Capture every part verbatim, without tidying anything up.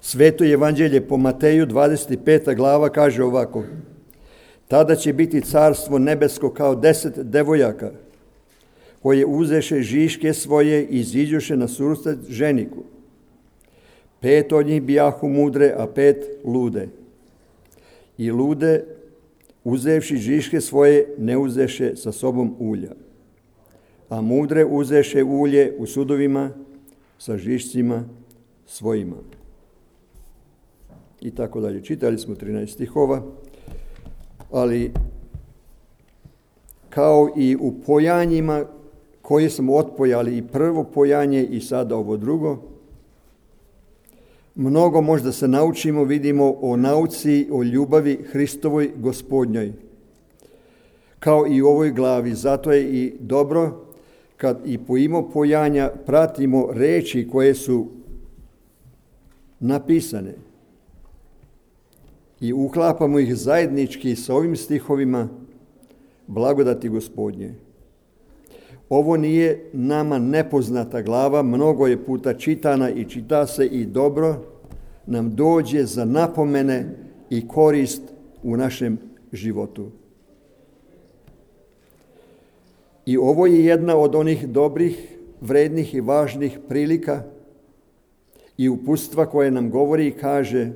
Sveto evanđelje po Mateju, dvadeset peta glava, kaže ovako: tada će biti carstvo nebesko kao deset devojaka, koje uzeše žiške svoje i iziđoše na susret ženiku. Pet od njih bijahu mudre, a pet lude. I lude, uzevši žiške svoje, ne uzeše sa sobom ulja. A mudre uzeše ulje u sudovima sa žišcima svojima. I tako dalje. Čitali smo trinaest stihova, ali kao i u pojanjima koje smo otpojali, i prvo pojanje i sada ovo drugo, mnogo možda se naučimo, vidimo o nauci, o ljubavi Hristovoj Gospodnjoj, kao i u ovoj glavi. Zato je i dobro kad i po imo pojanja pratimo reči koje su napisane i uklapamo ih zajednički sa ovim stihovima blagodati Gospodnje. Ovo nije nama nepoznata glava, mnogo je puta čitana i čita se i dobro nam dođe za napomene i korist u našem životu. I ovo je jedna od onih dobrih, vrednih i važnih prilika i uputstva koje nam govori i kaže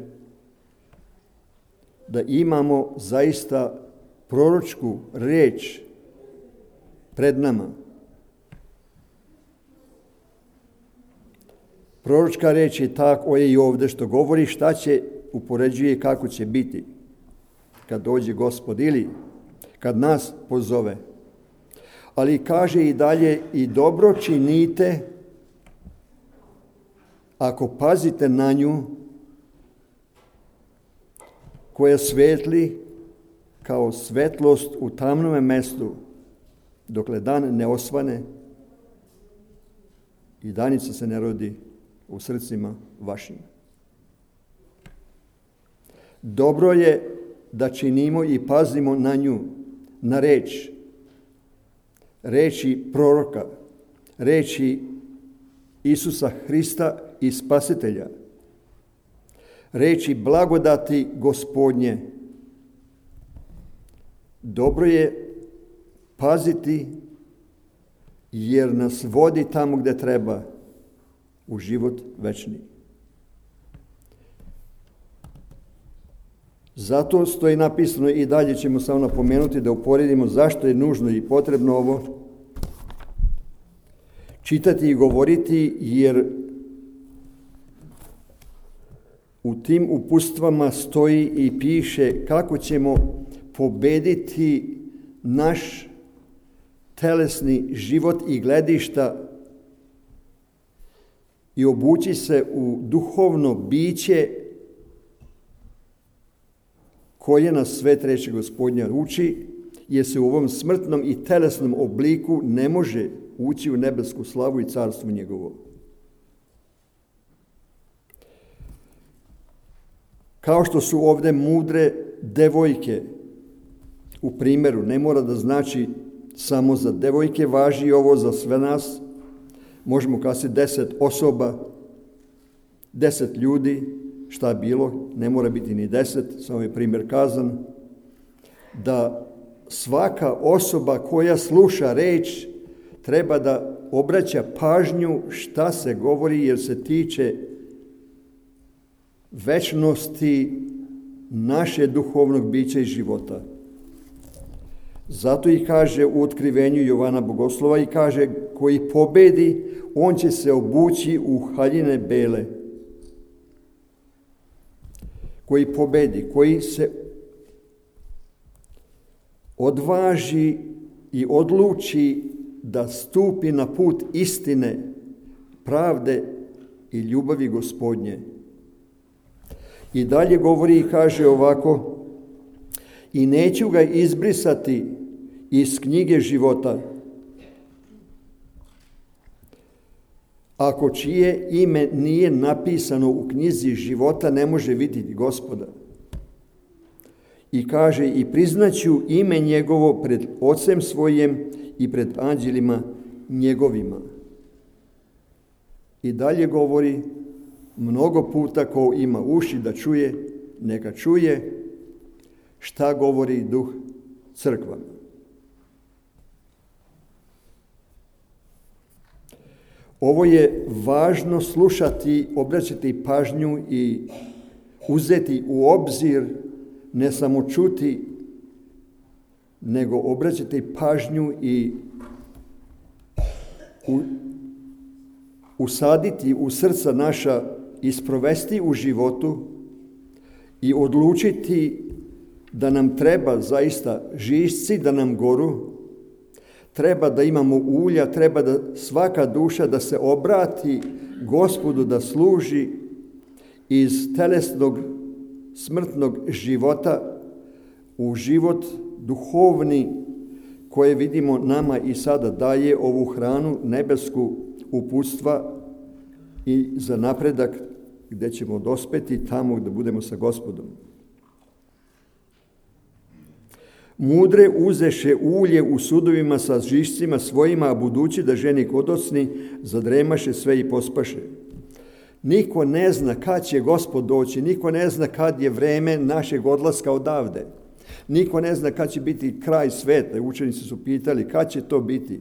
da imamo zaista proročku riječ pred nama. Proročka riječ je tako je i ovdje što govori šta će, upoređuje kako će biti kad dođe Gospod ili kad nas pozove. Ali kaže i dalje: i dobro činite ako pazite na nju, koja svetli kao svetlost u tamnome mestu, dokle dan ne osvane i danica se ne rodi u srcima vašim. Dobro je da činimo i pazimo na nju, na reč, reči proroka, reči Isusa Hrista i Spasitelja, reči blagodati Gospodnje. Dobro je paziti jer nas vodi tamo gdje treba, u život večni. Zato stoji napisano, i dalje ćemo samo napomenuti da uporedimo zašto je nužno i potrebno ovo čitati i govoriti, jer u tim uputstvama stoji i piše kako ćemo pobediti naš telesni život i gledišta i obući se u duhovno biće koje nas sve treće Gospodnja uči, jer se u ovom smrtnom i telesnom obliku ne može ući u nebesku slavu i carstvo njegovo. Kao što su ovdje mudre devojke u primjeru, ne mora da znači samo za devojke, važi ovo za sve nas. Možemo kazati deset osoba, deset ljudi, šta bilo, ne mora biti ni deset, samo je primjer kazan, da svaka osoba koja sluša reč treba da obraća pažnju šta se govori, jer se tiče večnosti naše duhovnog bića i života. Zato i kaže u otkrivenju Jovana Bogoslova i kaže: koji pobedi, on će se obući u haljine bele. Koji pobedi, koji se odvaži i odluči da stupi na put istine, pravde i ljubavi Gospodnje. I dalje govori i kaže ovako: i neću ga izbrisati iz knjige života, ako čije ime nije napisano u knjizi života, ne može vidjeti Gospoda. I kaže: i priznaću ime njegovo pred Ocem svojim i pred anđelima njegovima. I dalje govori mnogo puta ko ima uši da čuje, neka čuje šta govori duh crkvama. Ovo je važno slušati, obraćati pažnju i uzeti u obzir, ne samo čuti, nego obraćati pažnju i u, usaditi u srca naša i sprovesti u životu i odlučiti da nam treba zaista žišci, da nam goru, treba da imamo ulja, treba da svaka duša da se obrati Gospodu, da služi iz telesnog smrtnog života u život duhovni koje vidimo nama i sada daje ovu hranu nebesku uputstva i za napredak gdje ćemo dospeti tamo gdje budemo sa Gospodom. Mudre uzeše ulje u sudovima sa žišcima svojima, a budući da ženi kodosni, zadremaše sve i pospaše. Niko ne zna kad će Gospod doći, niko ne zna kad je vreme našeg odlaska odavde. Niko ne zna kad će biti kraj sveta. Učenici su pitali kad će to biti.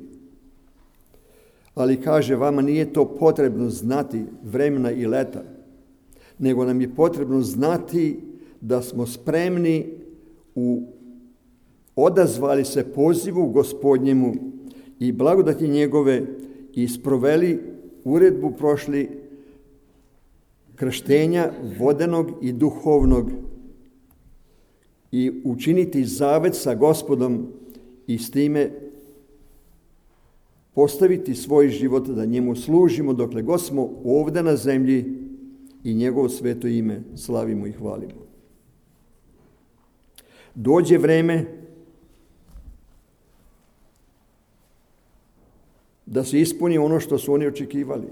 Ali kaže, vama nije to potrebno znati vremena i leta, nego nam je potrebno znati da smo spremni u odazvali se pozivu Gospodnjemu i blagodati njegove i sproveli uredbu prošli krštenja vodenog i duhovnog i učiniti zavet sa Gospodom i s time postaviti svoj život da njemu služimo dokle god smo ovdje na zemlji i njegovo sveto ime slavimo i hvalimo. Dođe vreme da se ispuni ono što su oni očekivali.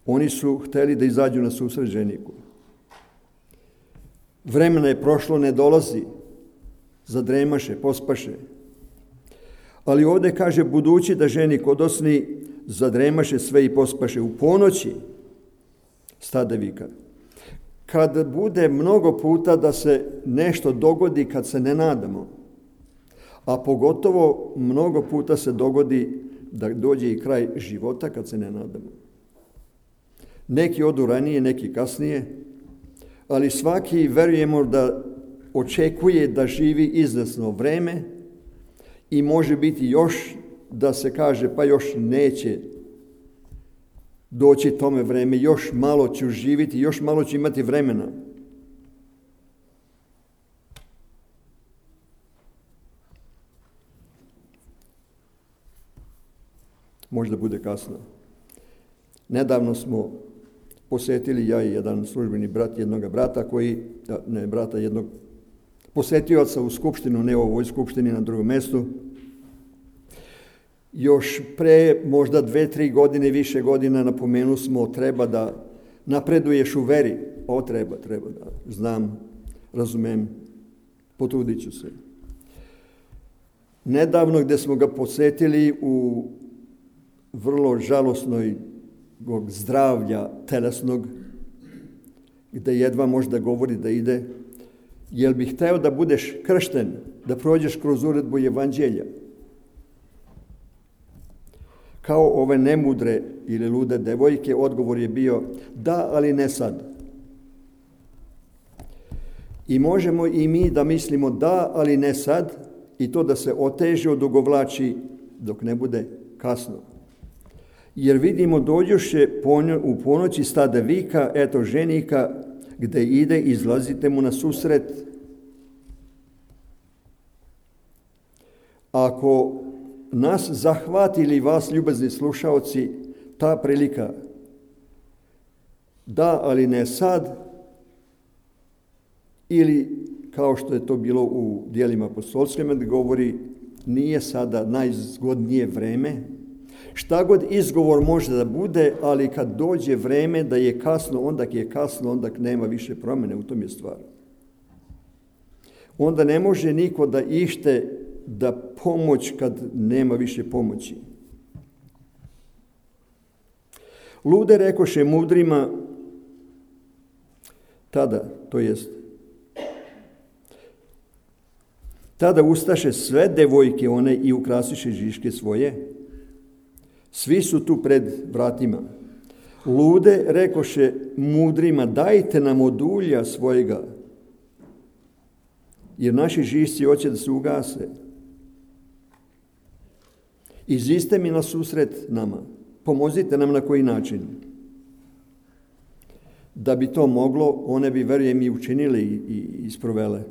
Oni su hteli da izađu na susret ženiku. Vremena je prošlo, ne dolazi. Zadremaše, pospaše. Ali ovdje kaže, budući da ženik odosni, zadremaše sve i pospaše. U ponoći stade vika. Kad bude mnogo puta da se nešto dogodi kad se ne nadamo, a pogotovo mnogo puta se dogodi da dođe i kraj života kad se ne nadamo. Neki odu ranije, neki kasnije, ali svaki verujemo da očekuje da živi izvesno vreme i može biti još da se kaže pa još neće doći tome vreme, još malo ću živjeti, još malo ću imati vremena. Možda bude kasno. Nedavno smo posjetili, ja i jedan službeni brat jednog brata koji, ne brata, jednog posjetioca u skupštinu, ne u ovoj skupštini, na drugom mjestu. Još pre možda dve, tri godine, više godina napomenu smo treba da napreduješ u veri. O, treba, treba da znam, razumem, potrudit ću se. Nedavno gdje smo ga posjetili u vrlo žalosnoj zdravlja telesnog, gdje jedva može da govori da ide, jel bi hteo da budeš kršten, da prođeš kroz uredbu evanđelja? Kao ove nemudre ili lude devojke, odgovor je bio da, ali ne sad. I možemo i mi da mislimo da, ali ne sad, i to da se oteže, odugovlači dok ne bude kasno. Jer vidimo dođoše u ponoći stade vika, eto ženika, gde ide, izlazite mu na susret. Ako nas zahvatili, vas ljubazni slušaoci, ta prilika, da, ali ne sad, ili kao što je to bilo u dijelima apostolskim, gdje govori, nije sada najzgodnije vreme. Šta god izgovor može da bude, ali kad dođe vreme da je kasno, onda je kasno, onda nema više promjene, u tom je stvar. Onda ne može niko da ište da pomoć kad nema više pomoći. Lude rekoše mudrima tada, to jest tada ustaše sve devojke one i ukrasiše žiške svoje. Svi su tu pred vratima. Lude rekoše mudrima, dajte nam od ulja svojega, jer naši žišci hoće da se ugase. Iziđite mi na susret nama, pomozite nam na koji način. Da bi to moglo, one bi, verujem, i učinile i isprovele.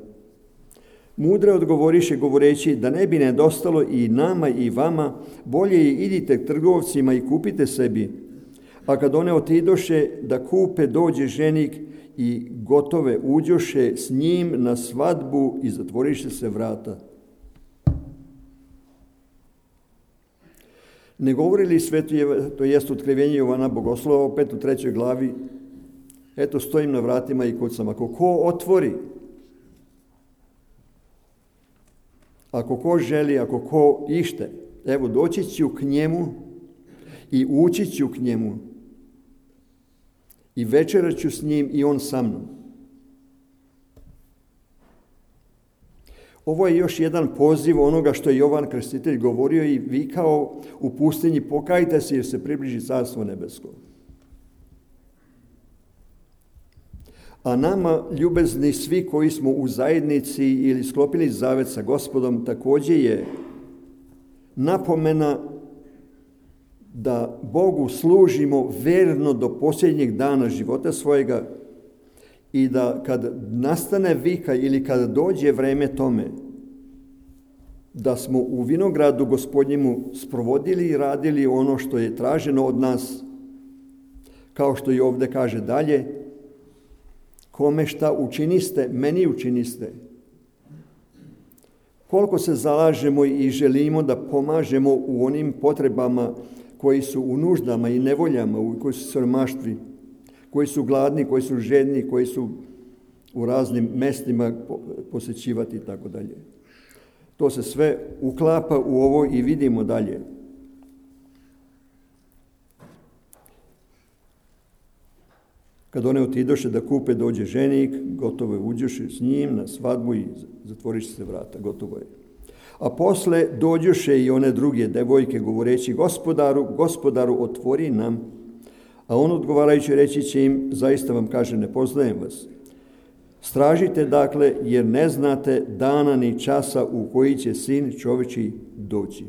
Mudre odgovoriše govoreći da ne bi nedostalo i nama i vama, bolje idite trgovcima i kupite sebi. A kad one otidoše da kupe, dođe ženik i gotove uđoše s njim na svadbu i zatvoriše se vrata. Ne govori li sveto, to jest otkrivenje Jovana Bogoslova, opet u trećoj glavi, eto stojim na vratima i kucam. Ako ko otvori, ako ko želi, ako ko ište, evo doći ću k njemu i ući ću k njemu i večerat ću s njim i on sa mnom. Ovo je još jedan poziv onoga što je Jovan Krstitelj govorio i vikao u pustinji, pokajte se jer se približi carstvo nebesko. A nama, ljubezni svi koji smo u zajednici ili sklopili zavet sa Gospodom, također je napomena da Bogu služimo verno do posljednjeg dana života svojega i da kad nastane vika ili kad dođe vreme tome, da smo u vinogradu Gospodnjemu sprovodili i radili ono što je traženo od nas, kao što i ovdje kaže dalje, kome šta učiniste, meni učiniste. Koliko se zalažemo i želimo da pomažemo u onim potrebama koji su u nuždama i nevoljama, koji su siromaštvi, koji su gladni, koji su žedni, koji su u raznim mestima posjećivati i tako dalje. To se sve uklapa u ovo i vidimo dalje. Kad one otidoše da kupe, dođe ženik, gotovo je, uđoše s njim na svadbu i zatvoriše se vrata, gotovo je. A posle dođoše i one druge devojke govoreći, gospodaru, gospodaru, otvori nam. A on odgovarajući reći će im, zaista vam kaže, ne poznajem vas. Stražite dakle, jer ne znate dana ni časa u koji će sin čovječji doći.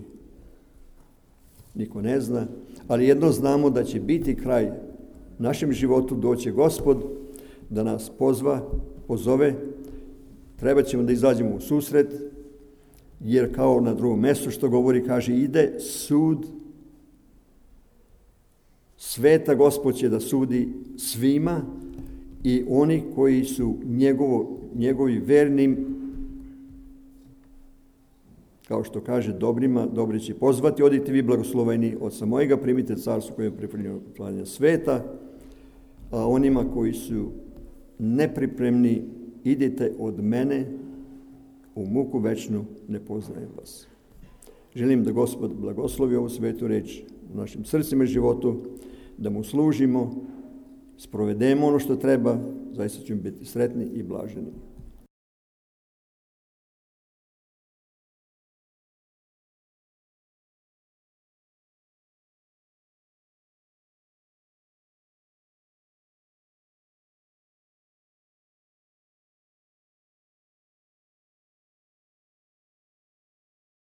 Niko ne zna, ali jedno znamo da će biti kraj našem životu, doće Gospod da nas pozva, pozove. Treba ćemo da izađemo u susret, jer kao na drugom mjestu što govori, kaže, ide sud. Sveta Gospod će da sudi svima i oni koji su njegovo, njegovi vernim, kao što kaže, dobrima, dobri će pozvati, odite vi blagosloveni od samojega, primite carstvo koje je pripremljeno sveta, a onima koji su nepripremni, idite od mene u muku večnu, ne poznajem vas. Želim da Gospod blagoslovi ovu svetu reč u našim srcima i životu, da mu služimo, sprovedemo ono što treba, zaista ćemo biti sretni i blaženi.